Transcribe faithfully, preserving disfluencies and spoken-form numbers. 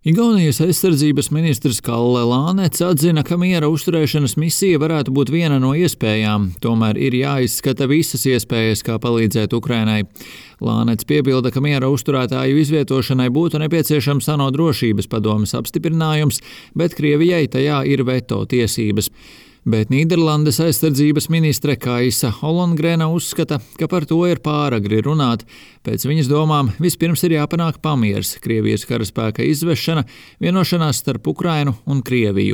Igaunijas aizsardzības ministrs Kalle Lānets atzina, ka miera uzturēšanas misija varētu būt viena no iespējām, tomēr ir jāizskata visas iespējas, kā palīdzēt Ukrainai. Lānets piebilda, ka miera uzturētāju izvietošanai būtu nepieciešams ANO drošības padomes apstiprinājums, bet Krievijai tajā ir veto tiesības. Bet Nīderlandes aizsardzības ministre Kaisa Holongrēna uzskata, ka par to ir pāragri runāt. Pēc viņas domām vispirms ir jāpanāk pamiers, Krievijas karaspēka izvešana, vienošanās starp Ukrainu un Krieviju.